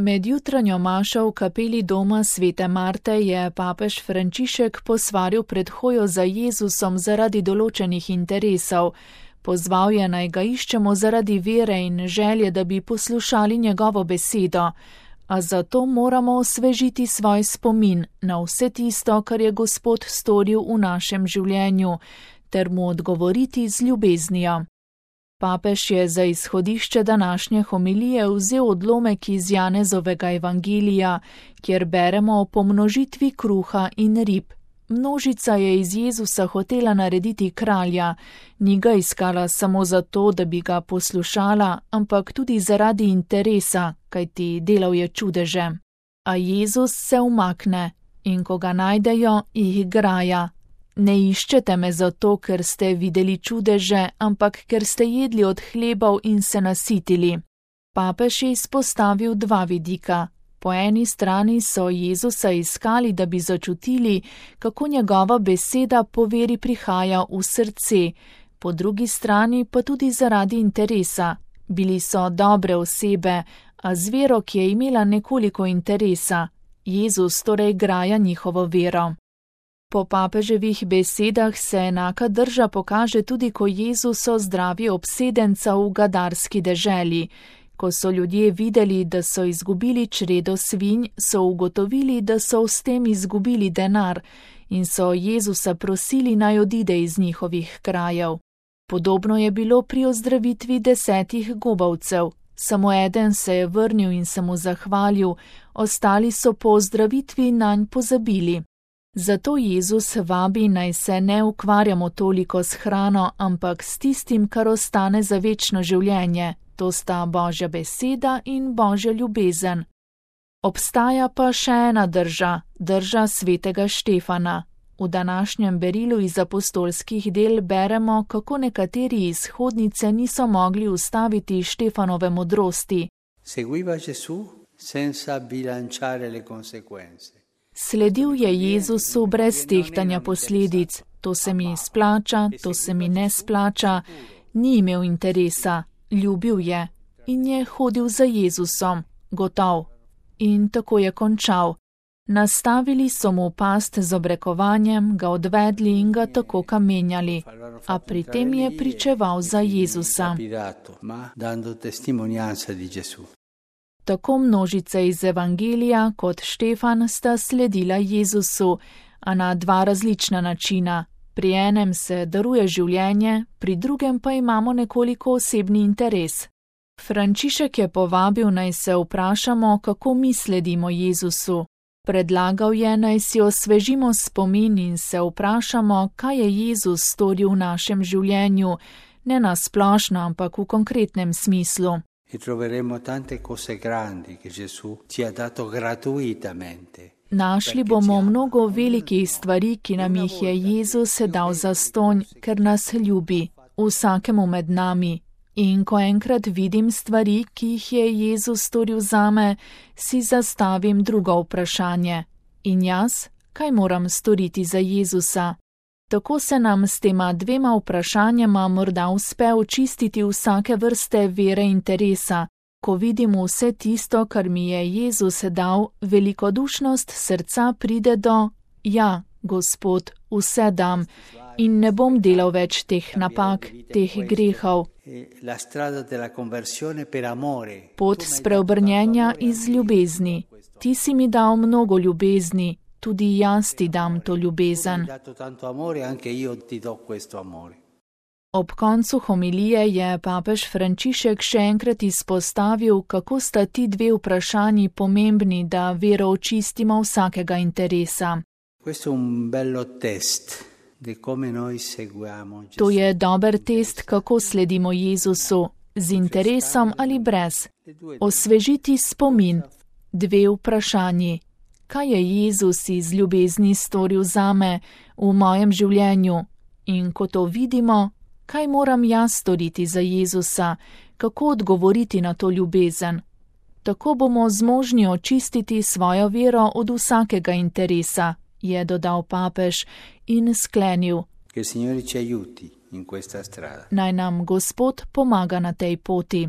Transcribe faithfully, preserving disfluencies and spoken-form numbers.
Med jutranjo mašo v kapeli doma svete Marte je papež Frančišek posvaril pred hojo za Jezusom zaradi določenih interesov. Pozval je, naj ga iščemo zaradi vere in želje, da bi poslušali njegovo besedo, a zato moramo osvežiti svoj spomin na vse tisto, kar je Gospod storil v našem življenju, ter mu odgovoriti z ljubeznijo. Papež je za izhodišče današnje homilije vzel odlomek iz Janezovega evangelija, kjer beremo o pomnožitvi kruha in rib. Množica je iz Jezusa hotela narediti kralja, ni ga iskala samo zato, da bi ga poslušala, ampak tudi zaradi interesa, kajti delal je čudeže. A Jezus se umakne in ko ga najdejo, jih graja. Ne iščete me zato, ker ste videli čudeže, ampak ker ste jedli od hlebov in se nasitili. Papež je izpostavil dva vidika. Po eni strani so Jezusa iskali, da bi začutili, kako njegova beseda po veri prihaja v srce, po drugi strani pa tudi zaradi interesa. Bili so dobre osebe, a z vero, ki je imela nekoliko interesa. Jezus torej graja njihovo vero. Po papeževih besedah se enaka drža pokaže tudi, ko Jezus ozdravi obsedenca v gadarski deželi. Ko so ljudje videli, da so izgubili čredo svinj, so ugotovili, da so s tem izgubili denar in so Jezusa prosili, naj odide iz njihovih krajev. Podobno je bilo pri ozdravitvi desetih gobavcev. Samo eden se je vrnil in se mu zahvalil, ostali so po ozdravitvi nanj pozabili. Zato Jezus vabi, naj se ne ukvarjamo toliko s hrano, ampak s tistim, kar ostane za večno življenje. To sta Božja beseda in Božja ljubezen. Obstaja pa še ena drža, drža svetega Štefana. V današnjem berilu iz apostolskih del beremo, kako nekateri iz hodnice niso mogli ustaviti Štefanove modrosti. Seguiva Gesù senza bilanciare le conseguenze. Sledil je Jezusu brez tehtanja posledic. To se mi splača, to se mi ne splača. Ni imel interesa. Ljubil je in je hodil za Jezusom, gotov. In tako je končal. Nastavili so mu past z obrekovanjem, ga odvedli in ga tako kamenjali, a pri tem je pričeval za Jezusa. Tako množice iz evangelija kot Štefan sta sledila Jezusu, a na dva različna načina. Pri enem se daruje življenje, pri drugem pa imamo nekoliko osebni interes. Frančišek je povabil, naj se vprašamo, kako mi sledimo Jezusu. Predlagal je, naj si osvežimo spomin in se vprašamo, kaj je Jezus storil v našem življenju, ne na splošno, ampak v konkretnem smislu. E troveremo tante cose grandi che Gesù ci ha dato gratuitamente. Našli bomo mnogo velikih stvari, ki nam jih je Jezus dal zastonj, ker nas ljubi, vsakemu med nami. In ko enkrat vidim stvari, ki jih je Jezus storil zame, si zastavim drugo vprašanje. In jaz, kaj moram storiti za Jezusa? Tako se nam s tema dvema vprašanjama morda uspe očistiti vsake vrste vere interesa. Ko vidim vse tisto, kar mi je Jezus dal, velikodušnost srca pride do, ja, Gospod, vse dam in ne bom delal več teh napak, teh grehov. Pot spreobrnjenja iz ljubezni. Ti si mi dal mnogo ljubezni, tudi jaz ti dam to ljubezen. Ob koncu homilije je papež Frančišek še enkrat izpostavil, kako sta ti dve vprašanji pomembni, da vero očistimo vsakega interesa. To je dober test, kako sledimo Jezusu, z interesom ali brez. Osvežiti spomin. Dve vprašanji. Kaj je Jezus iz ljubezni storil zame v mojem življenju? In ko to vidimo, kaj moram jaz storiti za Jezusa, kako odgovoriti na to ljubezen? Tako bomo zmožni očistiti svojo vero od vsakega interesa, je dodal papež in sklenil. Naj nam Gospod pomaga na tej poti.